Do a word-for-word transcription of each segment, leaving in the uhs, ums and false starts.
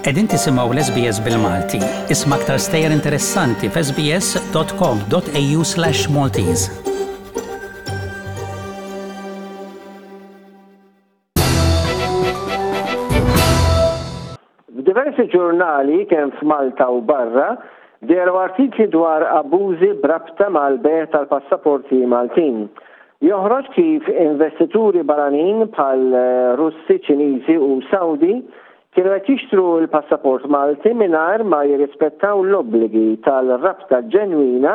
Qegħdin tisimgħu l-S B S bil-Malti. Isma' aktar stejjer interessanti f'S B S dot com dot A U slash Maltese. F'diversi ġurnali kemm f'Malta u barra dehru artikli dwar abbużi b'rabta mal-bejgħ tal-passaporti Maltin. Joħroġ kif investituri barranin bħal Russi, Ċiniżi u Saudi kienu qed jixtru l-passaport Malti mingħajr ma jirrispettaw l-obbligi tal-rabta ġenwina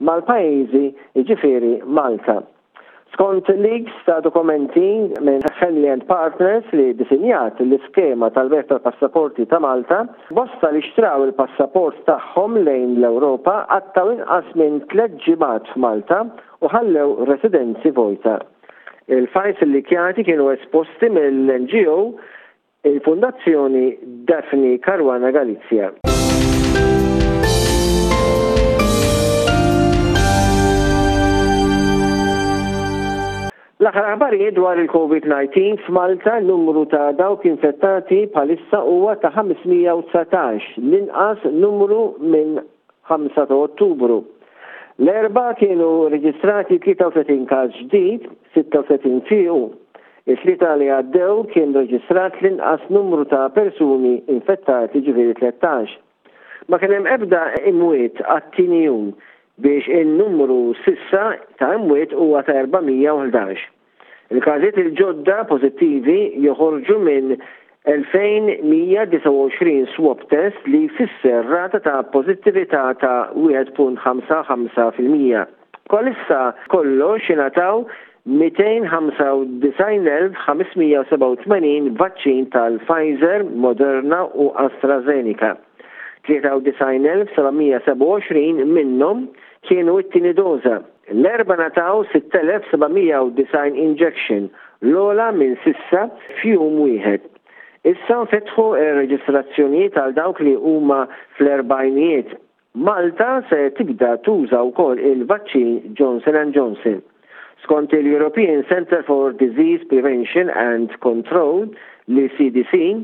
mal-pajjiżi, jiġifieri Malta. Skont leaks ta' dokumenti minn Henley and Partners li disinjat l-iskema tal-bejgħ tal-passaporti ta' Malta, bosta li xtraw il-passaport tagħhom lejn l-Ewropa qattgħu inqas minn tliet ġimgħat f'Malta u ħallew residenzi vojta. Il-files illikjati kienu esposti mill-N G O il-Fondazzjoni Daphne Caruana Galizia. L-aħħar aħbarijiet dwar il-COVID nineteen f'Malta: numru ta' dawk infettati bħalissa huwa ta' ħames mija u dsatax, l-inqas numru minn ħamsa ta' Ottubru. L-Erbgħa kienu reġistrati tlieta u tletin każ ġdid, sitta u tletin fiequ. It-Tlieta li għaddew kien reġistrat l-inqas numru ta' persuni infettati, ġifieri tlettax. Ma kien hemm ebda imwiet għat-tieni jum biex il-numru s'issa ta' imwiet huwa ta' erba' mija u ħdax. Il-każijiet il-ġodda pożittivi joħorġu minn elfejn u mija u disgħa u għoxrin swab test, li jfisser rata ta' pożittività ta' wieħed punt ħamsa ħamsa fil-mija. Bħalissa kollox ingħataw mitejn u ħamsa u disgħin elf ħames mija u sebgħa u tmenin vaċċin tal-Pfizer, Moderna u AstraZeneca. tlieta u disgħin elf seba' mija u sebgħa u għoxrin minnhom kienu it-tieni doża. L-Erbgħa ngħataw sitt elef seba' mija u disgħin injection, l-ogħla minn s'issa f'jum wieħed. Issa nfetħu ir-reġistrazzjonijiet għal dawk li huma fl-erbgħinijiet. Malta se tibda tuża wkoll il-vaċċin Johnson and Johnson. Skont il-European Center for Disease Prevention and Control, l-E C D C,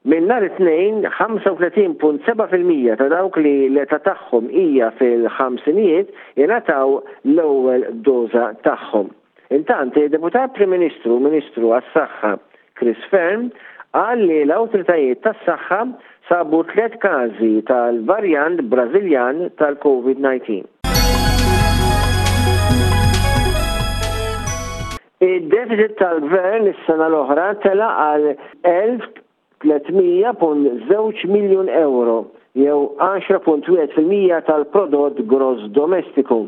minn nhar it-Tnejn ħamsa u tletin punt sebgħa fil-mija ta' dawk li l-età tagħhom hija fil-ħamsinijiet ingħataw l-ewwel doża tagħhom. Intant, il-Deputat Prim Ministru, Ministru għas-Saħħa Chris Fearne, qal li l-awtoritajiet tas-saħħa sabu tliet każi tal-varjant Brażiljan tal-COVID nineteen. Id-deficit tal-gvern is-sena l-oħra tela għal elf u tliet mija punt żewġ miljun euro jew għaxra punt wieħed fil-mija tal-prodott gross domestiku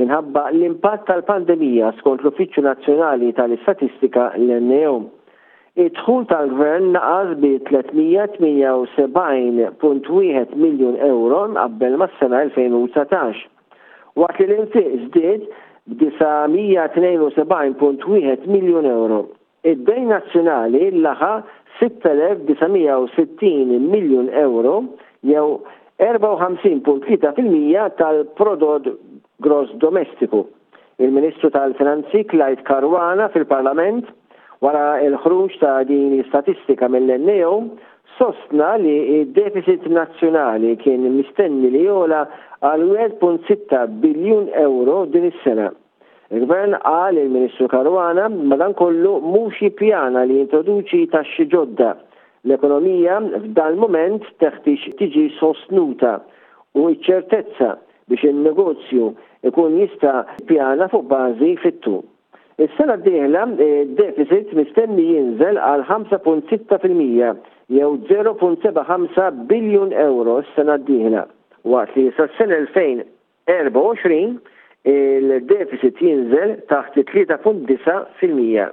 minħabba l-impatt tal-pandemija, skont l-Uffiċċju Nazzjonali tal-Istatistika, l-N A O. Id-dħul tal-gvern naqas bi tliet mija u tmienja u sebgħin punt wieħed miljun euro qabel mas-sena elfejn u dsatax. Waqt li l-infiq żdied b'disa' mija u tnejn u sebgħin punt wieħed miljun euro. Id-dejn nazzjonali laħaq sitt elef disa' mija u sittin miljun euro jew erbgħa u ħamsin punt tlieta fil-mija tal-prodott gross domestiku. Il-Ministru tal-Finanzi Clyde Caruana fil-Parlament wara il-ħruġ ta' din l-istatistika mill-N A O sostna li id-deficit nazzjonali kien mistenni li jogħla għal wieħed punt sitta biljun euro din is-sena. Il-Gvern, qal il-Ministru Caruana, madankollu mhux jippjana li jintroduċi taxxi ġodda. L-ekonomija f'dan moment teħtieġ tiġi sostnuta u ċertezza biex il-negozju ikun jista' pjana fuq bażi fit-tul. Is-sena d-dieħla deficit mistenni jinżel għal ħamsa punt sitta fil-mija jew żero punt sebgħa ħamsa biljun euro s-sena d-dieħla. Waqt li sas-sena elfejn u erbgħa u għoxrin il-deficit jinżel taħt tlieta punt disgħa fil-mija.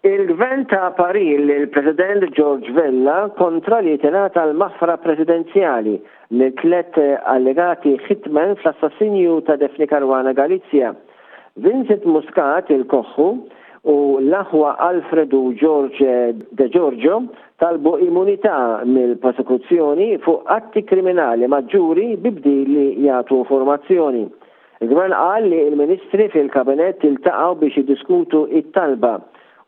Il-gvern ta parir lill-President George Vella kontra li tingħata l-maħfra presidenzjali lil tlet allegati hitmen fl-assassinju ta' Daphne Caruana Galizia. Vincent Muscat il-Koħħu u l-aħwa Alfredo George De Giorgio talbu immunità mill-prosekuzzjoni fuq atti kriminali maġġuri bi bdil li jagħtu informazzjoni. Il-gvern qal li il-ministri fil-kabinett iltaqgħu biex jiddiskutu it-talba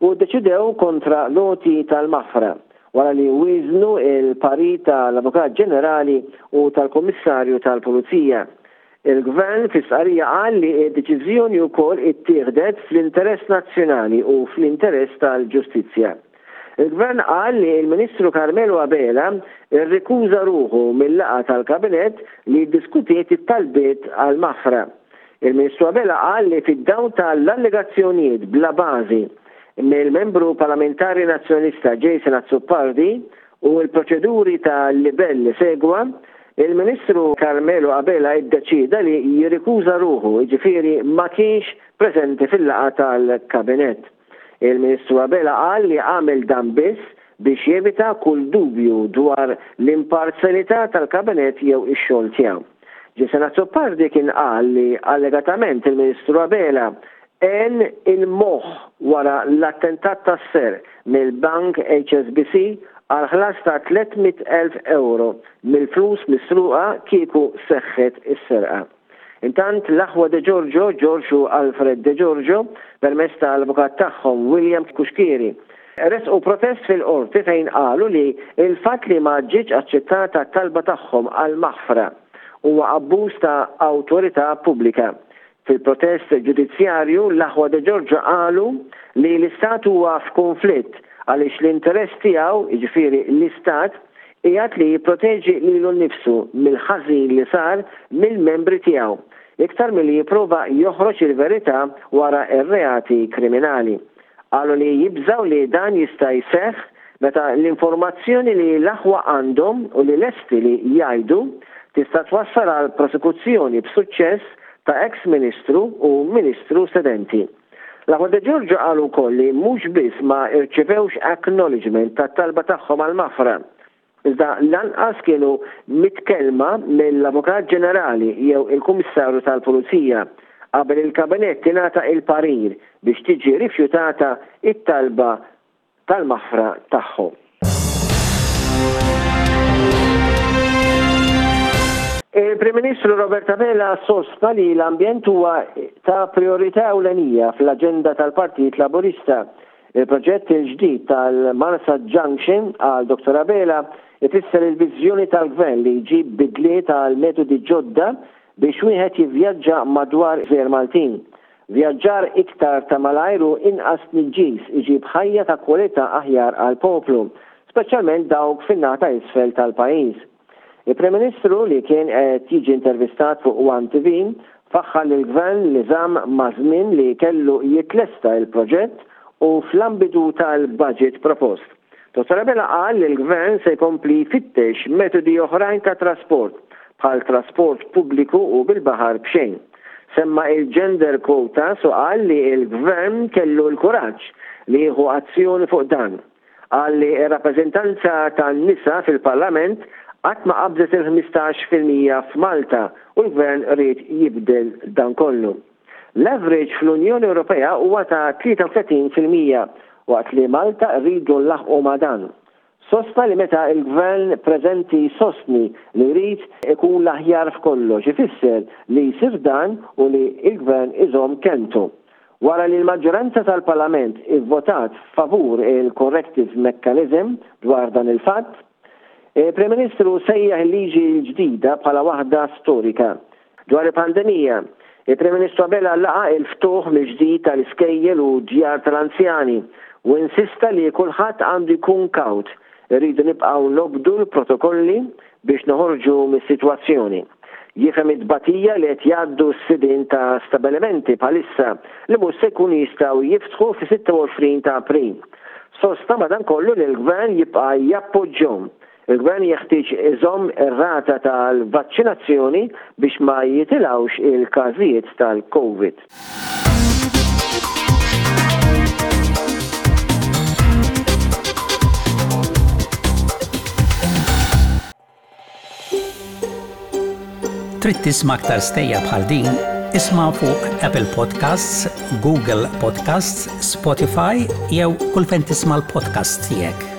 u deċidew kontra l-għoti tal-maħfra. wara li wieżnu l-parir tal-Avukat Ġenerali u tal-Kummissarju tal-Pulizija. Il-Gvern fi stqarrija qal li d-deċiżjoni wkoll ittieħdet fl-interess nazzjonali u fl-interess tal-ġustizzja. Il-Gvern qal li l-Ministru Carmelo Abela rrikuża ruħu mil-laqgħa tal-Kabinett li ddiskutiet it-talbiet għall-maħfra. Il-Ministru Abela qal li fid-dawl tal-allegazzjonijiet bla bażi mill-Membru Parlamentari Nazzjonalista Jason Azzopardi u l-proċeduri ta' libell li segwa, il-Ministru Carmelo Abela iddeċieda li jirrikuża ruħu, jiġifieri ma kienx preżenti fil-laqgħa tal-Kabinett. Il-Ministru Abela qal li għamel dan biss biex jevita kull dubju dwar l-imparzjalità tal-Kabinett jew ix-xogħol tiegħu. Jason Azzopardi kien qal li allegatament il-Ministru Abela għen il-moħħ wara l-attentat tas-serq mill-bank HSBC għal ħlas ta' tliet mitt elf ewro mill-flus misruqa kieku seħħet is-serqa. Intant l-aħwa De Giorgio, George u Alfred De Giorgio, permezz tal-avukat tagħhom William Cuschieri, ressqu protest fil-Qorti fejn qalu li l-fatt li ma ġietx aċċettata t-talba tagħhom għal maħfra huwa abbuż ta' awtorità pubblika. Fil-protest ġudizzjarju l-aħwa De Giorgio qalu li l-Istat huwa f'kunflitt għaliex l-interess tiegħu, jiġifieri l-Istat, qiegħed li jipproteġi lilu nnifsu mill-ħażin li sar mill-membri tiegħu, iktar milli jipprova joħroġ il-verità wara r-reati kriminali. Qalu li jibżgħu li dan jista' jseħħ meta l-informazzjoni li l-aħwa għandhom u li lesti li jgħidu tista' twassal għal prosekuzzjoni b'suċċess ta' eks Ministru u Ministru sedenti. L-aħwa De Giorgio qalu wkoll li mhux biss ma rċevewx acknowledgement tat-talba tagħhom għall-maħfra, iżda lanqas kienu mitkellma mill-Avukat Ġenerali jew il-Kummissarju tal-Pulizija qabel il-Kabinett ingħata il-parir biex tiġi rifjutata t-talba tal-maħfra tagħhom. Il-Prim Ministru Robert Abela sostna li l-ambjent huwa ta' prijorità ewlenija fl-aġenda tal-Partit Laburista. Il-proġett il-ġdid tal-Marsa Junction, qal Dottor Abela, ifisser il-viżjoni tal-Gvern li jġib bidliet għal metodi ġodda biex wieħed jivvjaġġa madwar gżejjer Maltin. Vjaġġar iktar ta' malajr u inqas tniġġis iġib ħajja ta' kwalità aħjar għall-poplu, speċjalment dawk fin-naħa ta' isfel tal-pajjiż. Il-Prim Ministru, li kien qed jiġi intervistat fuq One T V, faħħar lill-Gvern li żamm maż-żmien li kellu jitlesta l-proġett u fl-ambitu tal-budget propost. Dottor Abela qal li l-Gvern se jkompli jfittex metodi oħrajn ta' trasport, bħal trasport pubbliku u bil-baħar b'xejn. Semma il-gender quotas u qal li l-Gvern kellu l-kuraġġ li jieħu azzjoni fuq dan. Qal li r-rappreżentanza tan-nisa fil-Parlament qatt ma qabżet il-ħmistax fil-mija f'Malta u l-Gvern ried jibdel dan kollu. L-average fl-Unjoni Ewropea huwa ta' tlieta u tletin fil-mija waqt li Malta rridu nlaħħqu ma' dan. Sostna li meta l-Gvern preżenti jsostni li jrid ikun l-aħjar f'kollox ifisser li jsir dan u li l-Gvern iżomm kelmtu. Wara li l-maġġoranza tal-Parlament ivvotat favur il-corrective mechanism dwar dan il-fatt, il-Prim Ministru sejjaħ il-liġi l-ġdida bħala waħda storika. Dwar il-pandemija, il-Prim Ministru Abela laqa' il-ftuħ mill-ġdid tal-iskejjel u djar tal-anzjani u insista li kulħadd għandu jkun kawt. Irridu nibqgħu nobdu l-protokolli biex noħorġu mis-sitwazzjoni. Jifhem it-tbatija li qed jgħaddu s-sidien ta' stabilimenti bħalissa li mhux se jkunu jistgħu jiftħu fis-sitta u għoxrin ta' April. Sostna madankollu li l-Gvern jibqa' jappoġġjhom. Il-Gvern jeħtieġ iżomm ir-rata tal-vaċċinazzjoni biex ma jitilgħux il-każijiet tal-COVID. Trid tisma' aktar stejjer bħal din? Isma' fuq Apple Podcasts, Google Podcasts, Spotify jew kull fejn tisma' l-podcasts tiegħek.